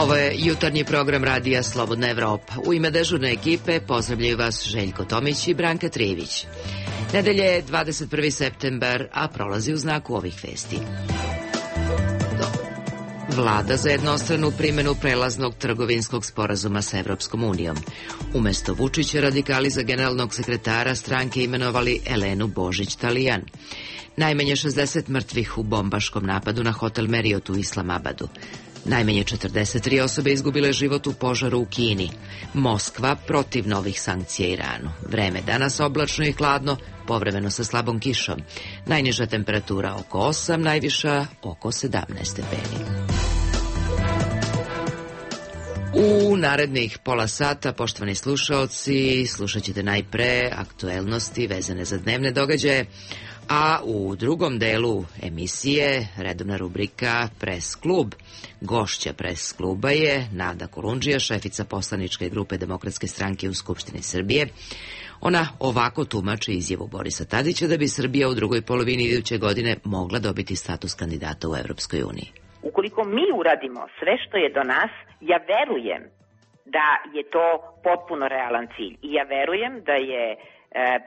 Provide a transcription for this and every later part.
Ovo je jutarnji program Radija Slobodna Evropa. U ime dežurne ekipe pozdravljaju vas Željko Tomić i Branka Trijević. Nedelje je 21. septembar, a prolazi u znaku ovih vesti. Vlada za jednostranu primjenu prelaznog trgovinskog sporazuma sa Evropskom unijom. Umesto Vučića radikali za generalnog sekretara stranke imenovali Elenu Božić-Talijan. Najmanje 60 mrtvih u bombaškom napadu na hotel Marriott u Islamabadu. Najmanje 43 osobe izgubile život u požaru u Kini. Moskva protiv novih sankcija Iranu. Vreme danas oblačno i hladno, povremeno sa slabom kišom. Najniža temperatura oko 8, najviša oko 17 stepeni. U narednih pola sata, poštovani slušaoci, slušat ćete najpre aktuelnosti vezane za dnevne događaje, a u drugom delu emisije redovna rubrika Pres klub. Gošća Pres kluba je Nada Kolundžija, šefica poslaničke grupe Demokratske stranke u Skupštini Srbije. Ona ovako tumači izjavu Borisa Tadića da bi Srbija u drugoj polovini iduće godine mogla dobiti status kandidata u Evropskoj uniji. Ukoliko mi uradimo sve što je do nas, ja verujem da je to potpuno realan cilj. I ja verujem da je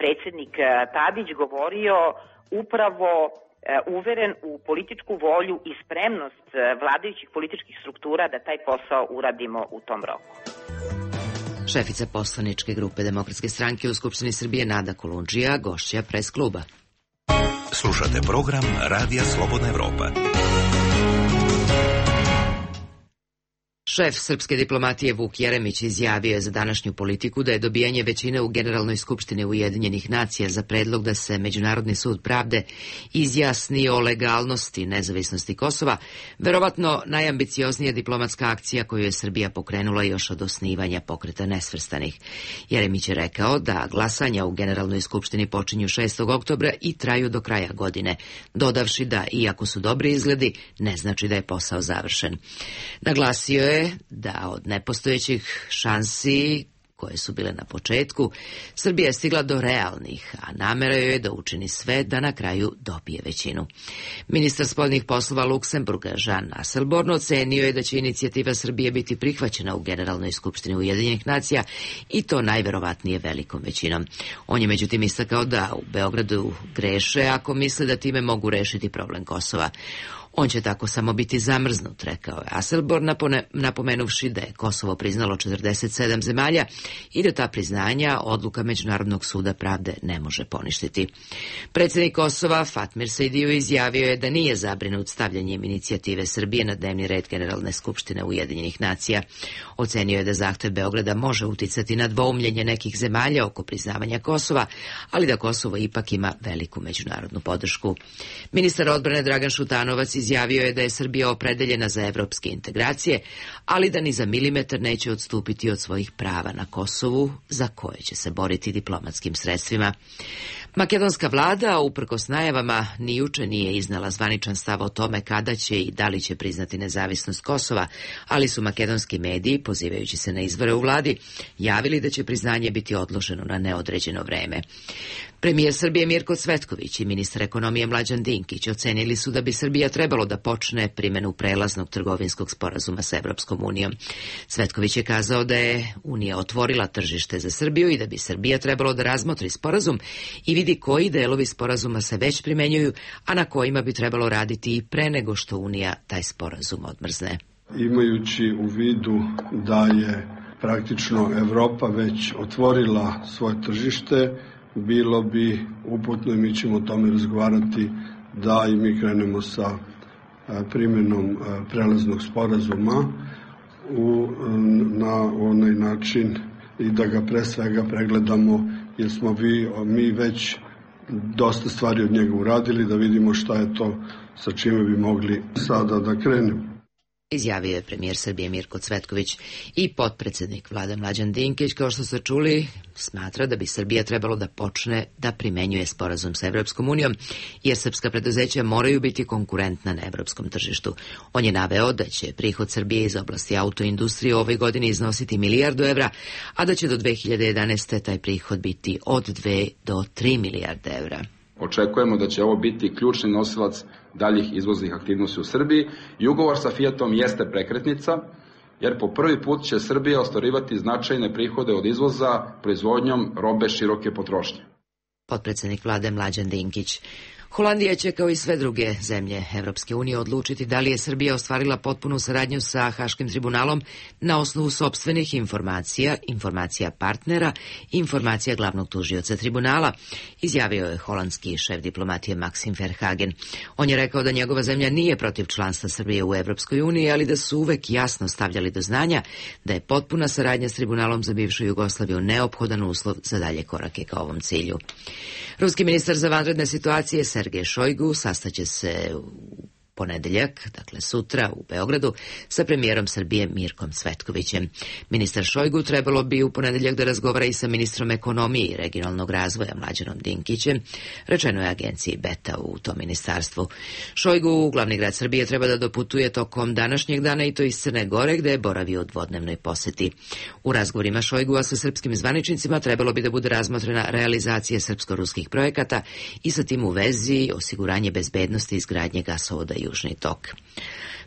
predsjednik Tadić govorio upravo uveren u političku volju i spremnost vladajućih političkih struktura da taj posao uradimo u tom roku. Šefica poslaničke grupe Demokratske stranke u Skupštini Srbije Nada Kolundžija, gošća Pres kluba. Slušate program Radija Slobodna Evropa. Šef srpske diplomatije Vuk Jeremić izjavio je za današnju Politiku da je dobijanje većine u Generalnoj skupštini Ujedinjenih nacija za predlog da se Međunarodni sud pravde izjasni o legalnosti nezavisnosti Kosova verovatno najambicioznija diplomatska akcija koju je Srbija pokrenula još od osnivanja Pokreta nesvrstanih. Jeremić je rekao da glasanja u Generalnoj skupštini počinju 6. oktobra i traju do kraja godine, dodavši da, iako su dobri izgledi, ne znači da je posao završen. Naglasio je da od nepostojećih šansi koje su bile na početku, Srbija je stigla do realnih, a namera joj je da učini sve da na kraju dobije većinu. Ministar spoljnih poslova Luksemburga Jean Asselborn ocenio je da će inicijativa Srbije biti prihvaćena u Generalnoj skupštini Ujedinjenih nacija i to najverovatnije velikom većinom. On je međutim istakao da u Beogradu greše ako misle da time mogu rešiti problem Kosova. On će tako samo biti zamrznut, rekao je Asselborn, napomenuvši da je Kosovo priznalo 47 zemalja i da ta priznanja odluka Međunarodnog suda pravde ne može poništiti. Predsjednik Kosova Fatmir Sejdiu izjavio je da nije zabrinut stavljanjem inicijative Srbije na dnevni red Generalne skupštine Ujedinjenih nacija. Ocenio je da zahtev Beograda može uticati na dvoumljenje nekih zemalja oko priznavanja Kosova, ali da Kosovo ipak ima veliku međunarodnu podršku. Ministar odbrane Dragan Šutanovac izjavio je da je Srbija opredeljena za evropske integracije, ali da ni za milimetar neće odstupiti od svojih prava na Kosovu, za koje će se boriti diplomatskim sredstvima. Makedonska vlada, uprkos najavama, ni juče nije iznala zvaničan stav o tome kada će i da li će priznati nezavisnost Kosova, ali su makedonski mediji, pozivajući se na izvore u vladi, javili da će priznanje biti odloženo na neodređeno vreme. Premijer Srbije Mirko Cvetković i ministar ekonomije Mlađan Dinkić ocenili su da bi Srbija trebalo da počne primjenu prelaznog trgovinskog sporazuma sa Evropskom unijom. Cvetković je kazao da je Unija otvorila tržište za Srbiju i da bi Srbija trebalo da razmotri sporazum i vidi koji delovi sporazuma se već primenjuju, a na kojima bi trebalo raditi i pre nego što Unija taj sporazum odmrzne. Imajući u vidu da je praktično Evropa već otvorila svoje tržište, bilo bi uputno i mi ćemo o tome razgovarati da i mi krenemo sa primjenom prelaznog sporazuma na onaj način i da ga pre svega pregledamo, jer smo mi već dosta stvari od njega uradili, da vidimo šta je to sa čime bi mogli sada da krenemo. Izjavio je premijer Srbije Mirko Cvetković i potpredsjednik vlade Mlađan Dinkić, kao što ste čuli, smatra da bi Srbija trebalo da počne da primenjuje sporazum sa Evropskom unijom, jer srpska preduzeća moraju biti konkurentna na evropskom tržištu. On je naveo da će prihod Srbije iz oblasti autoindustrije u ovoj godini iznositi 1 milijardu evra, a da će do 2011. taj prihod biti od 2 do 3 milijarde evra. Očekujemo da će ovo biti ključni nosilac daljih izvoznih aktivnosti u Srbiji i ugovor sa Fiatom jeste prekretnica jer po prvi put će Srbija ostvarivati značajne prihode od izvoza proizvodnjom robe široke potrošnje. Potpredsjednik vlade Mlađan Dinkić. Holandija će, kao i sve druge zemlje Evropske unije, odlučiti da li je Srbija ostvarila potpunu saradnju sa Haškim tribunalom na osnovu sopstvenih informacija, informacija partnera i informacija glavnog tužioca tribunala, izjavio je holandski šef diplomatije Maxim Verhagen. On je rekao da njegova zemlja nije protiv članstva Srbije u Evropskoj uniji, ali da su uvek jasno stavljali do znanja da je potpuna saradnja s tribunalom za bivšu Jugoslaviju neophodan uslov za dalje korake ka ovom cilju. Ruski ministar za vanredne situacije Sergej Šojgu sastaće se u ponedeljak, dakle sutra, u Beogradu, sa premijerom Srbije Mirkom Cvetkovićem. Ministar Šojgu trebalo bi u ponedeljak da razgovara i sa ministrom ekonomije i regionalnog razvoja Mlađanom Dinkićem, rečeno je agenciji Beta u tom ministarstvu. Šojgu u glavni grad Srbije treba da doputuje tokom današnjeg dana i to iz Crne Gore, gde je boravio u dvodnevnoj poseti. U razgovorima Šojgua sa srpskim zvaničnicima trebalo bi da bude razmotrena realizacija srpsko-ruskih projekata i sa tim u vezi osiguranje bezbednosti i izgradnje gasovoda Južni tok.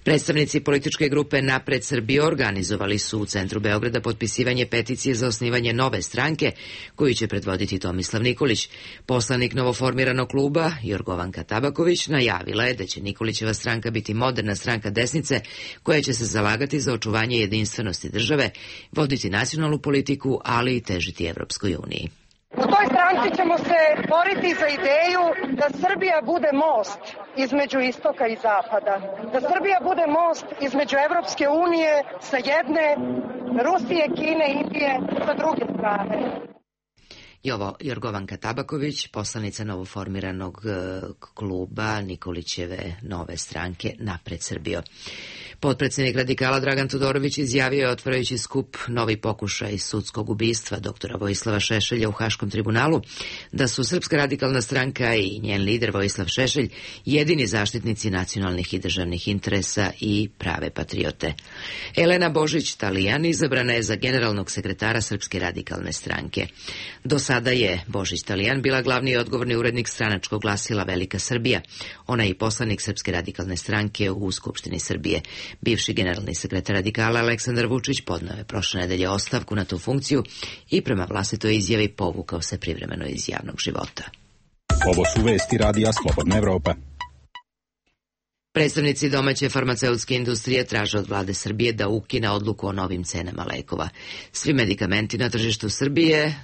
Predstavnici političke grupe Napred Srbije organizovali su u centru Beograda potpisivanje peticije za osnivanje nove stranke koju će predvoditi Tomislav Nikolić. Poslanik novoformiranog kluba Jorgovanka Tabaković najavila je da će Nikolićeva stranka biti moderna stranka desnice koja će se zalagati za očuvanje jedinstvenosti države, voditi nacionalnu politiku, ali i težiti Evropskoj uniji. U toj stranci ćemo se boriti za ideju da Srbija bude most između istoka i zapada. Da Srbija bude most između Evropske unije sa jedne, Rusije, Kine, Indije sa druge strane. I ovo Jorgovanka Tabaković, poslanica novoformiranog kluba Nikolićeve nove stranke Napred Srbijo. Potpredsjednik radikala Dragan Todorović izjavio je, otvarajući skup Novi pokušaj sudskog ubistva doktora Vojislava Šešelja u Haškom tribunalu, da su Srpska radikalna stranka i njen lider Vojislav Šešelj jedini zaštitnici nacionalnih i državnih interesa i prave patriote. Elena Božić-Talijan izabrana je za generalnog sekretara Srpske radikalne stranke. Do sada je Božić-Talijan bila glavni i odgovorni urednik stranačkog glasila Velika Srbija. Ona je i poslanik Srpske radikalne stranke u Skupštini Srbije. Bivši generalni sekretar radikala Aleksandar Vučić podneo je prošle nedelje ostavku na tu funkciju i prema vlastitoj izjavi povukao se privremeno iz javnog života. Ovo su vesti Radija Slobodna Evropa. Predstavnici domaće farmaceutske industrije traže od vlade Srbije da ukine odluku o novim cenama lekova. Svi medikamenti na tržištu Srbije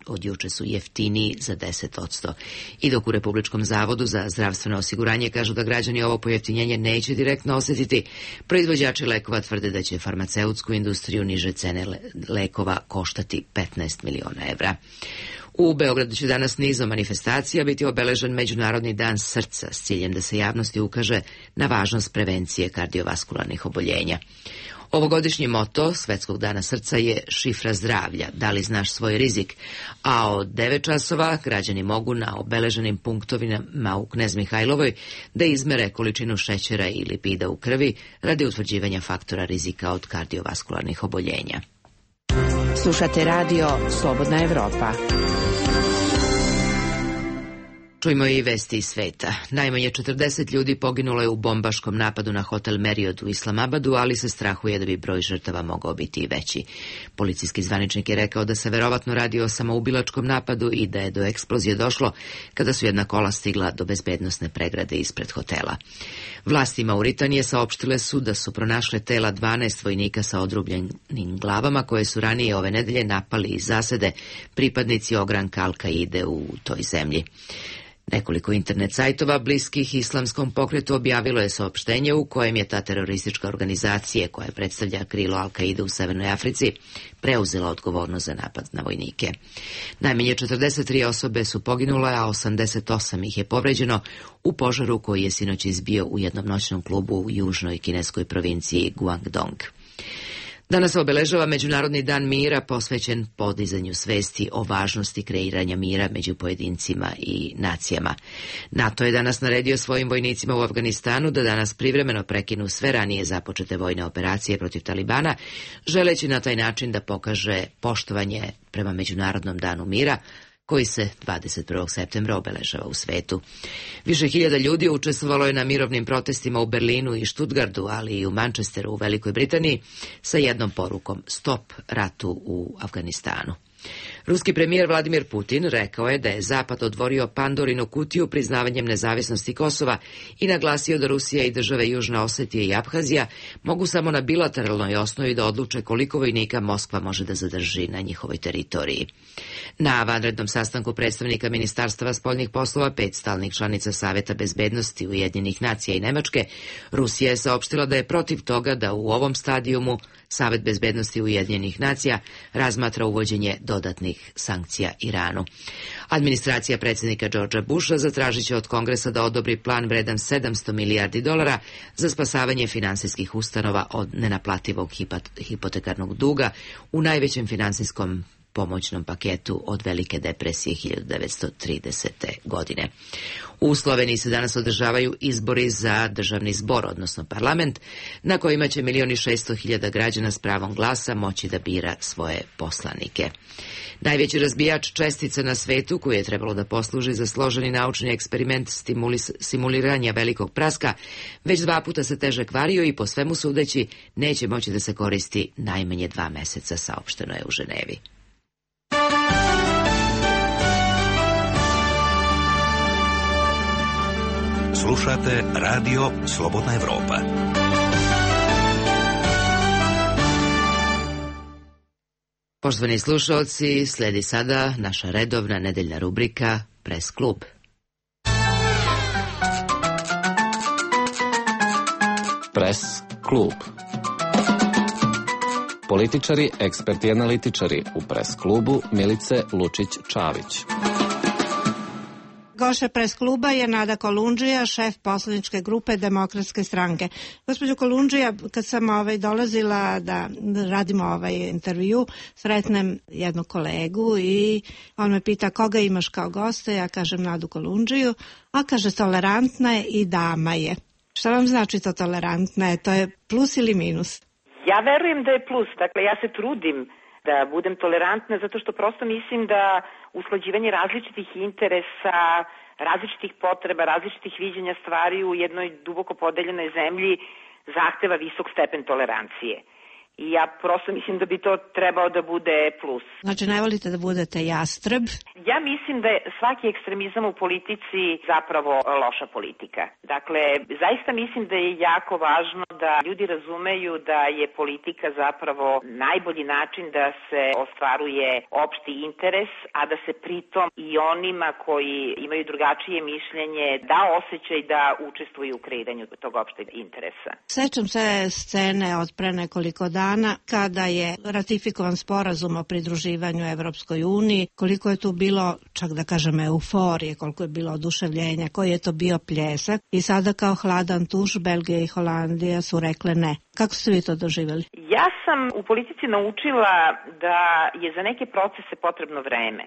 od juče su jeftiniji za 10%. I dok u Republičkom zavodu za zdravstveno osiguranje kažu da građani ovo pojeftinjenje neće direktno osjetiti, proizvođači lekova tvrde da će farmaceutsku industriju niže cene lekova koštati 15 miliona evra. U Beogradu će danas nizom manifestacija biti obeležen Međunarodni dan srca s ciljem da se javnosti ukaže na važnost prevencije kardiovaskularnih oboljenja. Ovogodišnji moto Svetskog dana srca je šifra zdravlja, da li znaš svoj rizik, a od 9 časova građani mogu na obeleženim punktovima u Knez Mihajlovoj da izmere količinu šećera i lipida u krvi radi utvrđivanja faktora rizika od kardiovaskularnih oboljenja. Slušate radio Slobodna Evropa. Čujmo i vesti iz sveta. Najmanje 40 ljudi poginulo je u bombaškom napadu na hotel Marriott u Islamabadu, ali se strahuje da bi broj žrtava mogao biti i veći. Policijski zvaničnik je rekao da se verovatno radi o samoubilačkom napadu i da je do eksplozije došlo kada su jedna kola stigla do bezbednosne pregrade ispred hotela. Vlasti Mauritanije saopštile su da su pronašle tela 12 vojnika sa odrubljenim glavama koje su ranije ove nedelje napali iz zasede pripadnici ogranka Al-Kaide u toj zemlji. Nekoliko internet sajtova bliskih islamskom pokretu objavilo je saopštenje u kojem je ta teroristička organizacija koja predstavlja krilo Al-Kaide u Severnoj Africi preuzela odgovornost za napad na vojnike. Najmanje 43 osobe su poginule, a 88 ih je povređeno u požaru koji je sinoć izbio u jednom noćnom klubu u južnoj kineskoj provinciji Guangdong. Danas se obeležava Međunarodni dan mira posvećen podizanju svesti o važnosti kreiranja mira među pojedincima i nacijama. NATO je danas naredio svojim vojnicima u Afganistanu da danas privremeno prekinu sve ranije započete vojne operacije protiv Talibana, želeći na taj način da pokaže poštovanje prema Međunarodnom danu mira, koji se 21. septembra obeležava u svetu. Više hiljada ljudi učestvovalo je na mirovnim protestima u Berlinu i Stuttgartu, ali i u Manchesteru u Velikoj Britaniji sa jednom porukom: stop ratu u Afganistanu. Ruski premijer Vladimir Putin rekao je da je Zapad otvorio Pandorinu kutiju priznavanjem nezavisnosti Kosova i naglasio da Rusija i države Južna Osetija i Abhazija mogu samo na bilateralnoj osnovi da odluče koliko vojnika Moskva može da zadrži na njihovoj teritoriji. Na vanrednom sastanku predstavnika Ministarstava spoljnih poslova 5 stalnih članica Saveta bezbednosti Ujedinjenih nacija i Nemačke, Rusija je saopštila da je protiv toga da u ovom stadijumu Savet bezbednosti Ujedinjenih nacija razmatra uvođenje dodatnih sankcija Iranu. Administracija predsjednika Georgea Busha zatražit će od Kongresa da odobri plan vredan $700 milijardi za spasavanje finansijskih ustanova od nenaplativog hipotekarnog duga u najvećem finansijskom pomoćnom paketu od Velike depresije 1930. godine. U Sloveniji se danas održavaju izbori za državni zbor, odnosno parlament, na kojima će 1.600.000 građana s pravom glasa moći da bira svoje poslanike. Najveći razbijač čestica na svetu, koji je trebalo da posluži za složeni naučni eksperiment simuliranja velikog praska, već 2 puta se teže kvario i po svemu sudeći neće moći da se koristi najmanje 2 meseca, saopšteno je u Ženevi. Slušate Radio Slobodna Evropa. Poštovani slušalci, sledi sada naša redovna nedeljna rubrika Pres klub. Pres klub. Političari, eksperti i analitičari u Pres klubu Milice Lučić-Čavić. Gošća Pres kluba je Nada Kolundžija, šef poslaničke grupe Demokratske stranke. Gospođo Kolundžija, kad sam dolazila da radimo ovaj intervju, sretnem jednu kolegu i on me pita koga imaš kao gosta, ja kažem Nadu Kolundžiju, a kaže tolerantna je i dama je. Šta vam znači to tolerantna je? To je plus ili minus? Ja verujem da je plus. Dakle, ja se trudim da budem tolerantna zato što prosto mislim da usklađivanje različitih interesa, različitih potreba, različitih viđenja stvari u jednoj duboko podeljenoj zemlji zahteva visok stepen tolerancije. I ja prosto mislim da bi to trebao da bude plus. Znači ne volite da budete jastreb? Ja mislim da je svaki ekstremizam u politici zapravo loša politika. Dakle, zaista mislim da je jako važno da ljudi razumeju da je politika zapravo najbolji način da se ostvaruje opšti interes, a da se pritom i onima koji imaju drugačije mišljenje da osjećaj da učestvuju u kreiranju tog opšteg interesa. Sećam se scene od pre nekoliko dana kada je ratifikovan sporazum o pridruživanju Evropskoj uniji, koliko je tu bilo, čak da kažem, euforije, koliko je bilo oduševljenja, koji je to bio pljesak i sada kao hladan tuš Belgija i Holandija su rekle ne. Kako ste vi to doživjeli? Ja sam u politici naučila da je za neke procese potrebno vreme.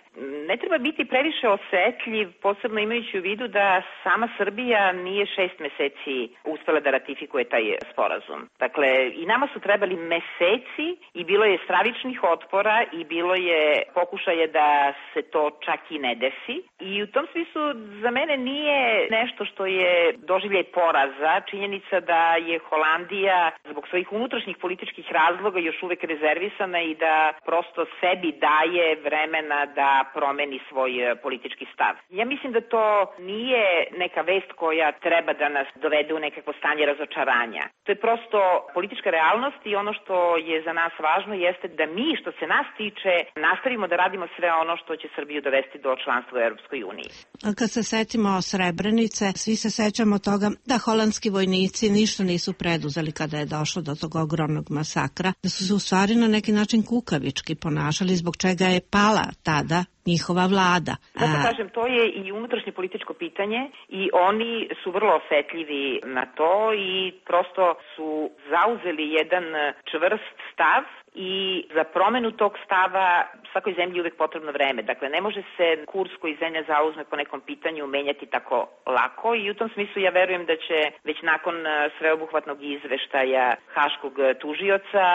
Ne treba biti previše osetljiv, posebno imajući u vidu da sama Srbija nije 6 meseci uspela da ratifikuje taj sporazum. Dakle, i nama su trebali meseci i bilo je stravičnih otpora i bilo je pokušaje da se to čak i ne desi. I u tom smislu za mene nije nešto što je doživljaj poraza, činjenica da je Holandija zbog svojih unutrašnjih političkih razloga još uvek rezervisana i da prosto sebi daje vremena da promeni svoj politički stav. Ja mislim da to nije neka vest koja treba da nas dovede u nekakvo stanje razočaranja. To je prosto politička realnost i ono što je za nas važno jeste da mi, što se nas tiče, nastavimo da radimo sve ono što će Srbiju dovesti do članstva u Europskoj uniji. Kad se setimo Srebrenice, svi se sećamo toga da holandski vojnici ništa nisu preduzeli kada je došlo do tog ogromnog masakra, da su se u stvari na neki način kukavički ponašali, zbog čega je pala tada njihova vlada. Zato kažem, to je i unutrašnje političko pitanje i oni su vrlo osetljivi na to i prosto su zauzeli jedan čvrst stav i za promenu tog stava svakoj zemlji je uvek potrebno vreme. Dakle, ne može se kurs koji zemlja zauzme po nekom pitanju menjati tako lako i u tom smislu ja verujem da će već nakon sveobuhvatnog izveštaja Haškog tužioca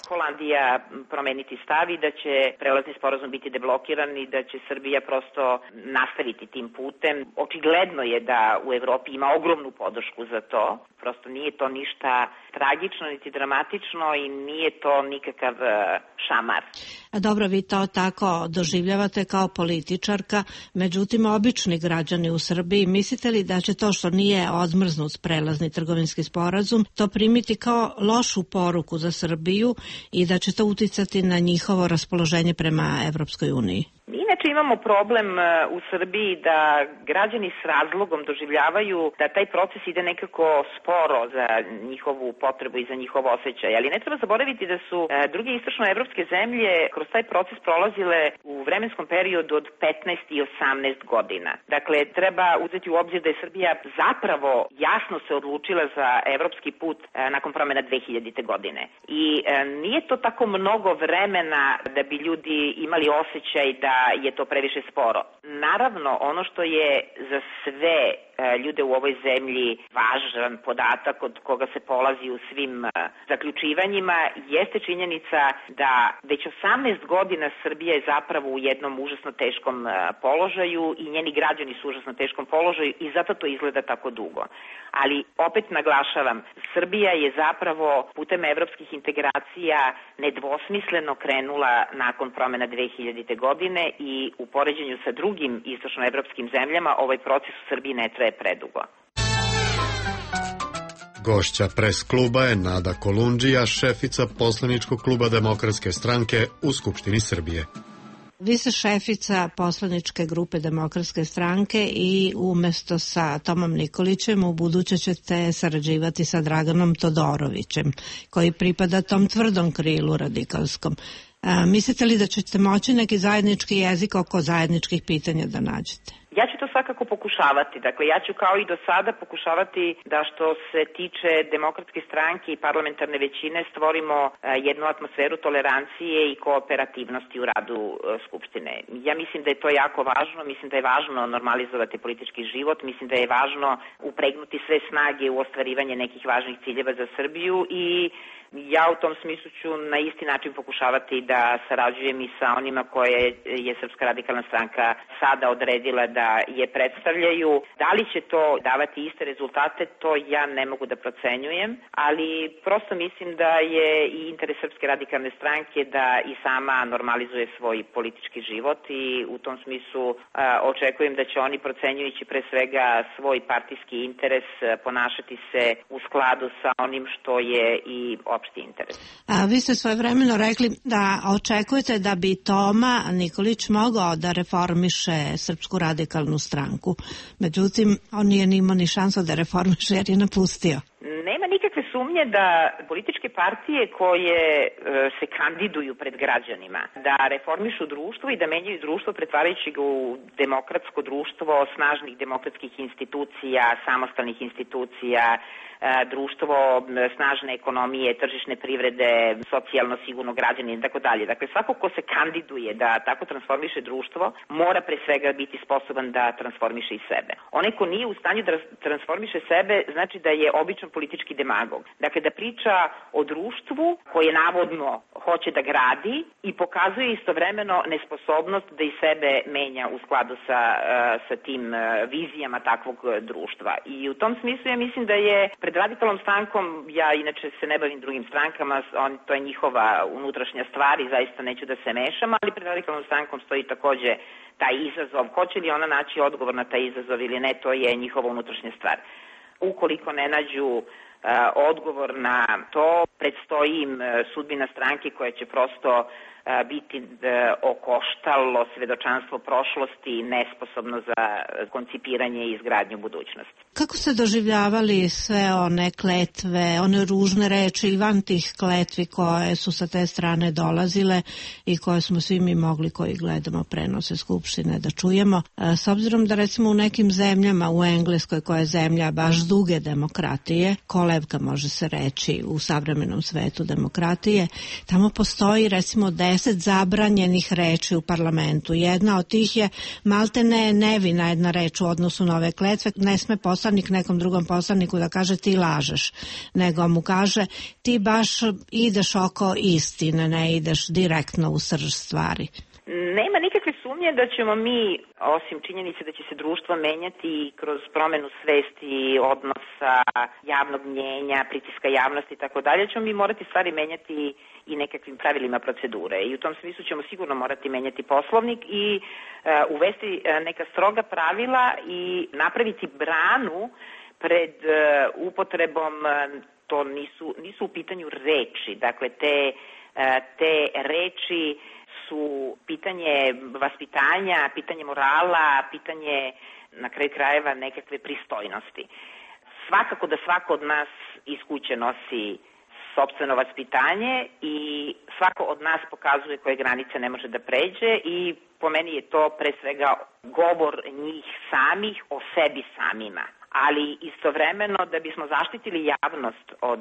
Holandija promeniti stav i da će prelazni sporazum biti deblokiran i da da će Srbija prosto nastaviti tim putem. Očigledno je da u Evropi ima ogromnu podršku za to. Prosto nije to ništa tragično niti dramatično i nije to nikakav šamar. Dobro, vi to tako doživljavate kao političarka, međutim obični građani u Srbiji, mislite li da će to što nije odmrznut prelazni trgovinski sporazum to primiti kao lošu poruku za Srbiju i da će to uticati na njihovo raspoloženje prema Evropskoj uniji? Mi inače imamo problem u Srbiji da građani s razlogom doživljavaju da taj proces ide nekako sporo za njihovu potrebu i za njihov osjećaj, ali ne treba zaboraviti da su druge istočnoevropske zemlje kroz taj proces prolazile u vremenskom periodu od 15 i 18 godina. Dakle, treba uzeti u obzir da je Srbija zapravo jasno se odlučila za evropski put nakon promjena 2000. godine. I nije to tako mnogo vremena da bi ljudi imali osjećaj da je to previše sporo. Naravno, ono što je za sve ljude u ovoj zemlji važan podatak od koga se polazi u svim zaključivanjima jeste činjenica da već 18 godina Srbija je zapravo u jednom užasno teškom položaju i njeni građani su u užasno teškom položaju i zato to izgleda tako dugo. Ali opet naglašavam, Srbija je zapravo putem evropskih integracija nedvosmisleno krenula nakon promjena 2000. godine i u poređenju sa drugim istočnoevropskim zemljama ovaj proces u Srbiji ne traje predugo. Gošća pres kluba je Nada Kolundžija, šefica poslaničkog kluba Demokratske stranke u Skupštini Srbije. Vi ste šefica poslaničke grupe Demokratske stranke i umesto sa Tomom Nikolićem u buduće ćete sarađivati sa Draganom Todorovićem, koji pripada tom tvrdom krilu radikalskom. Mislite li da ćete moći neki zajednički jezik oko zajedničkih pitanja da nađete? Ja ću to svakako pokušavati. Dakle, ja ću kao i do sada pokušavati da što se tiče Demokratske stranke i parlamentarne većine stvorimo jednu atmosferu tolerancije i kooperativnosti u radu Skupštine. Ja mislim da je to jako važno, mislim da je važno normalizovati politički život, mislim da je važno upregnuti sve snage u ostvarivanje nekih važnih ciljeva za Srbiju i ja u tom smislu ću na isti način pokušavati da sarađujem i sa onima koje je Srpska radikalna stranka sada odredila da je predstavljaju. Da li će to davati iste rezultate, to ja ne mogu da procenjujem, ali prosto mislim da je i interes Srpske radikalne stranke da i sama normalizuje svoj politički život i u tom smislu očekujem da će oni, procenjujući pre svega svoj partijski interes, ponašati se u skladu sa onim što je i opšti interes. Vi ste svojevremeno rekli da očekujete da bi Toma Nikolić mogao da reformiše Srpsku radikalnu stranku. Međutim, on nije imao ni šansu da reformiše jer je napustio. Nema nikakve sumnje da političke partije koje se kandiduju pred građanima, da reformišu društvo i da menjaju društvo pretvarajući ga u demokratsko društvo snažnih demokratskih institucija, samostalnih institucija, društvo snažne ekonomije, tržišne privrede, socijalno sigurno građanina i tako dalje. Dakle, svako ko se kandiduje da tako transformiše društvo, mora pre svega biti sposoban da transformiše i sebe. Onaj ko nije u stanju da transformiše sebe, znači da je običan politički demagog. Dakle, da priča o društvu koje navodno hoće da gradi i pokazuje istovremeno nesposobnost da i sebe menja u skladu sa tim vizijama takvog društva. I u tom smislu ja mislim da je pred radikalnom strankom, ja inače se ne bavim drugim strankama, to je njihova unutrašnja stvar i zaista neću da se mešam, ali pred radikalnom strankom stoji takođe taj izazov. Hoće li ona naći odgovor na taj izazov ili ne, to je njihova unutrašnja stvar. Ukoliko ne nađu odgovor na to, predstoji im sudbina stranke koja će prosto biti okoštalo svedočanstvo prošlosti i nesposobno za koncipiranje i izgradnju budućnosti. Kako ste doživljavali sve one kletve, one ružne reči i van tih kletvi koje su sa te strane dolazile i koje smo svi mi mogli koji gledamo prenose Skupštine da čujemo? S obzirom da recimo u nekim zemljama, u Engleskoj koja je zemlja baš duge demokratije, kolevka može se reći u savremenom svetu demokratije, tamo postoji recimo 10 zabranjenih reči u parlamentu. Jedna od tih je maltene nevina jedna reč u odnosu na ove kletve. Ne sme poslanik nekom drugom poslaniku da kaže ti lažeš, nego mu kaže ti baš ideš oko istine, ne ideš direktno u srž stvari. Nema nikakve sumnje da ćemo mi, osim činjenice da će se društvo menjati kroz promenu svesti, odnosa, javnog mnjenja, pritiska javnosti i tako dalje, ćemo mi morati stvari menjati i nekakvim pravilima procedure. I u tom smislu ćemo sigurno morati menjati Poslovnik i uvesti neka stroga pravila i napraviti branu pred upotrebom, to nisu u pitanju reči, dakle te reči su pitanje vaspitanja, pitanje morala, pitanje na kraju krajeva nekakve pristojnosti. Svakako da svako od nas iz kuće nosi sopstveno vaspitanje i svako od nas pokazuje koje granice ne može da pređe i po meni je to pre svega govor njih samih o sebi samima. Ali istovremeno da bismo zaštitili javnost od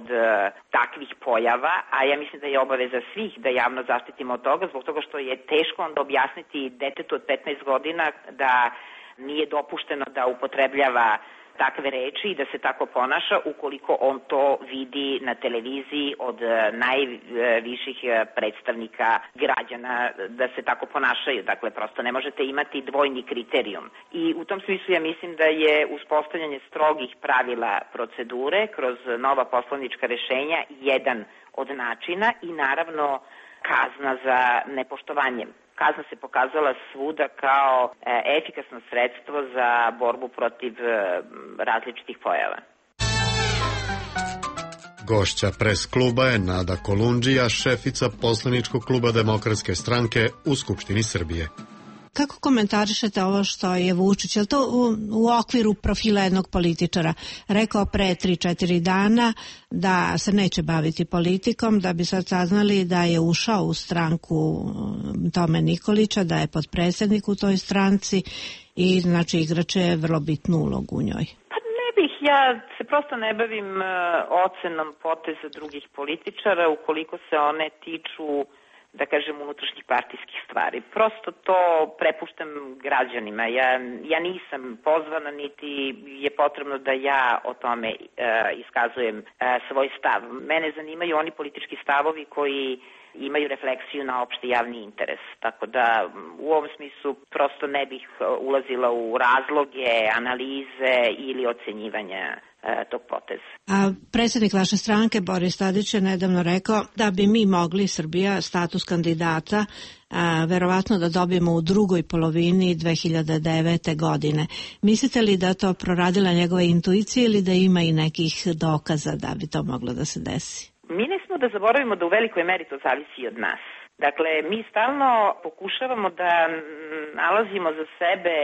takvih pojava, a ja mislim da je obaveza svih da javno zaštitimo od toga, zbog toga što je teško onda objasniti detetu od 15 godina da nije dopušteno da upotrebljava takve reči i da se tako ponaša ukoliko on to vidi na televiziji od najviših predstavnika građana da se tako ponašaju. Dakle, prosto ne možete imati dvojni kriterijum. I u tom smislu ja mislim da je uspostavljanje strogih pravila procedure kroz nova poslovnička rešenja jedan od načina i naravno kazna za nepoštovanje. Kazna se pokazala svuda kao efikasno sredstvo za borbu protiv različitih pojava. Gošća pres kluba je Nada Kolundžija, šefica poslaničkog kluba Demokratske stranke u Skupštini Srbije. Kako komentarišete ovo što je Vučić, je li to u okviru profila jednog političara rekao pre 3-4 dana da se neće baviti politikom, da bi sad saznali da je ušao u stranku Tome Nikolića, da je potpredsednik u toj stranci i znači igrače vrlo bitnu ulogu u njoj? Pa ne bih, ja se prosto ne bavim ocenom poteza drugih političara ukoliko se one tiču da kažem, unutrašnjih partijskih stvari. Prosto to prepuštam građanima. Ja nisam pozvana, niti je potrebno da ja o tome iskazujem svoj stav. Mene zanimaju oni politički stavovi koji imaju refleksiju na opšti javni interes. Tako da u ovom smislu prosto ne bih ulazila u razloge, analize ili ocenjivanja tog poteza. A predsjednik vaše stranke Boris Tadić je nedavno rekao da bi mi mogli, Srbija, status kandidata verovatno da dobijemo u drugoj polovini 2009. godine. Mislite li da to proradila njegova intuicija ili da ima i nekih dokaza da bi to moglo da se desi? Mi ne smo da zaboravimo da u velikoj meri to zavisi od nas. Dakle, mi stalno pokušavamo da nalazimo za sebe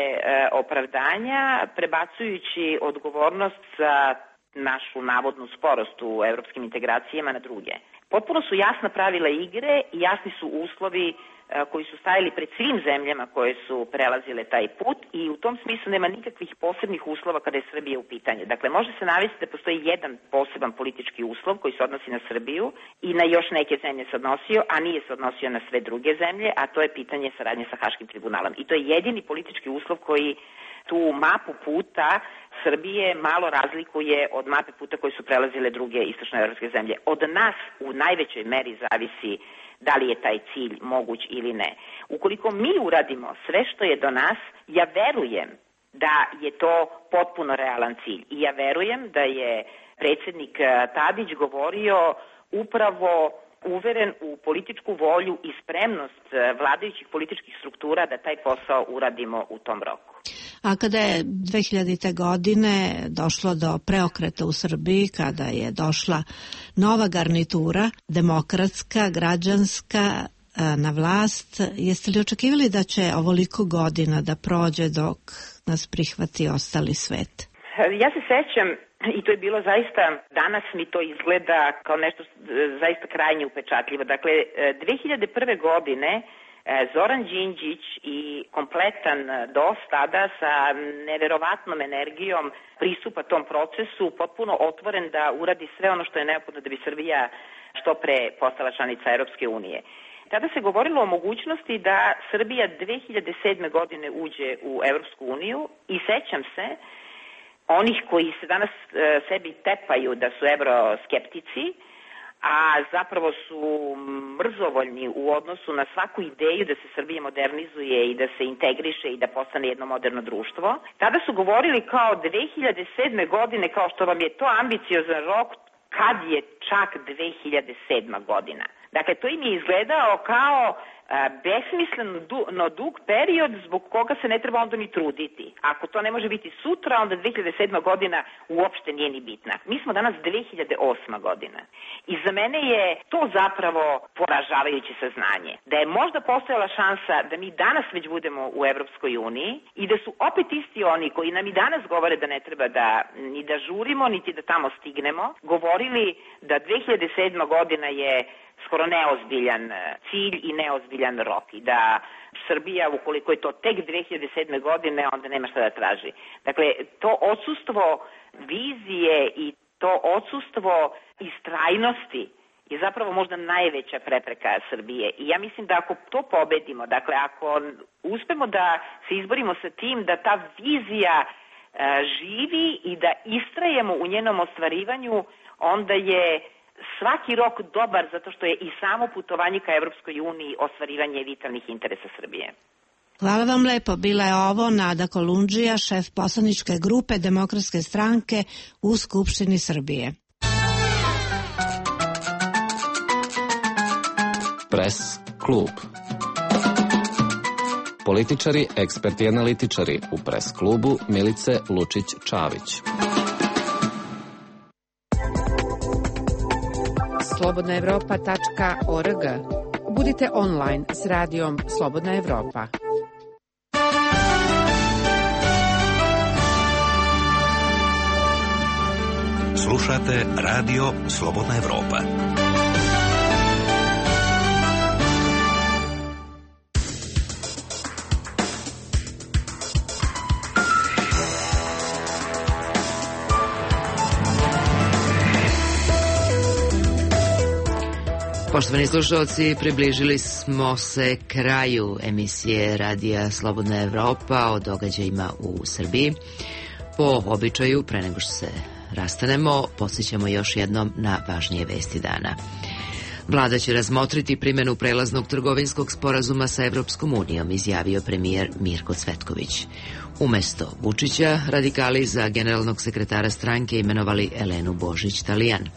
opravdanja, prebacujući odgovornost za našu navodnu sporost u evropskim integracijama na druge. Potpuno su jasna pravila igre i jasni su uslovi koji su stajali pred svim zemljama koje su prelazile taj put i u tom smislu nema nikakvih posebnih uslova kada je Srbija u pitanju. Dakle, može se navesti da postoji jedan poseban politički uslov koji se odnosi na Srbiju i na još neke zemlje se odnosio, a nije se odnosio na sve druge zemlje, a to je pitanje saradnje sa Haškim tribunalom. I to je jedini politički uslov koji tu mapu puta Srbije malo razlikuje od mape puta koje su prelazile druge istočnoevropske zemlje. Od nas u najvećoj meri zavisi da li je taj cilj moguć ili ne. Ukoliko mi uradimo sve što je do nas, ja verujem da je to potpuno realan cilj. I ja verujem da je predsjednik Tadić govorio upravo uveren u političku volju i spremnost vladajućih političkih struktura da taj posao uradimo u tom roku. A kada je 2000. godine došlo do preokreta u Srbiji, kada je došla nova garnitura, demokratska, građanska, na vlast, jeste li očekivali da će ovoliko godina da prođe dok nas prihvati ostali svet? Ja se sećam, i to je bilo zaista, danas mi to izgleda kao nešto zaista krajnje upečatljivo. Dakle, 2001. godine Zoran Đinđić i kompletan DOS tada sa neverovatnom energijom pristupa tom procesu, potpuno otvoren da uradi sve ono što je neophodno da bi Srbija što pre postala članica Europske unije. Tada se govorilo o mogućnosti da Srbija 2007. godine uđe u Europsku uniju i sećam se onih koji se danas sebi tepaju da su evroskeptici, a zapravo su mrzovoljni u odnosu na svaku ideju da se Srbija modernizuje i da se integriše i da postane jedno moderno društvo. Tada su govorili kao 2007. godine, kao što vam je to ambiciozan rok, kad je čak 2007. godina. Dakle, to im je izgledao kao besmisleno dug period zbog koga se ne treba onda ni truditi. Ako to ne može biti sutra, onda 2007. godina uopšte nije ni bitna. Mi smo danas 2008. godina. I za mene je to zapravo poražavajuće saznanje. Da je možda postojala šansa da mi danas već budemo u Evropskoj uniji i da su opet isti oni koji nam i danas govore da ne treba ni da žurimo, niti da tamo stignemo, govorili da 2007. godina je skoro neozbiljan cilj i neozbiljan rok i da Srbija, ukoliko je to tek 2007. godine, onda nema šta da traži. Dakle, to odsustvo vizije i to odsustvo istrajnosti je zapravo možda najveća prepreka Srbije. I ja mislim da ako to pobedimo, dakle, ako uspemo da se izborimo sa tim da ta vizija živi i da istrajemo u njenom ostvarivanju, onda je svaki rok dobar zato što je i samo putovanje ka Evropskoj uniji ostvarivanje vitalnih interesa Srbije. Hvala vam lepo. Bila je ovo Nada Kolundžija, šef poslaničke grupe Demokratske stranke u Skupštini Srbije. Press klub. Političari, eksperti i analitičari u Press klubu Milice Lučić-Čavić. slobodnaevropa.org. Budite online s radijom Slobodna Evropa. Slušate Radio Slobodna Evropa. Poštovani slušalci, približili smo se kraju emisije Radija Slobodna Evropa o događajima u Srbiji. Po običaju, pre nego što se rastanemo, podsjećamo još jednom na važnije vesti dana. Vlada će razmotriti primjenu prelaznog trgovinskog sporazuma sa Evropskom unijom, izjavio premijer Mirko Cvetković. Umesto Vučića, radikali za generalnog sekretara stranke imenovali Elenu Božić-Talijan.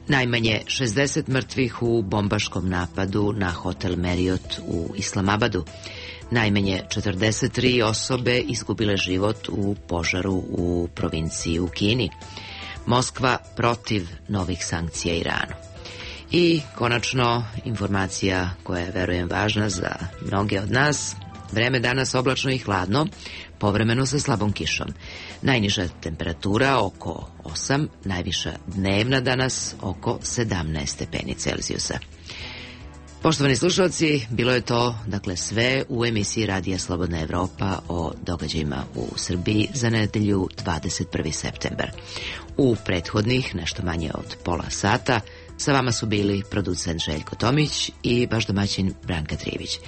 Najmanje 60 mrtvih u bombaškom napadu na hotel Marriott u Islamabadu. Najmanje 43 osobe izgubile život u požaru u provinciji u Kini. Moskva protiv novih sankcija Iranu. I konačno informacija koja je, verujem, važna za mnoge od nas. Vreme danas oblačno i hladno, povremeno sa slabom kišom. Najniža temperatura oko 8, najviša dnevna danas oko 17 stepeni Celzijusa. Poštovani slušalci, bilo je to, dakle, sve u emisiji Radija Slobodna Evropa o događajima u Srbiji za nedelju 21. septembar. U prethodnih, nešto manje od pola sata, sa vama su bili producent Željko Tomić i vaš domaćin Branka Trivić.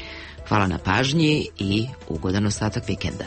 Hvala na pažnji i ugodan ostatak vikenda.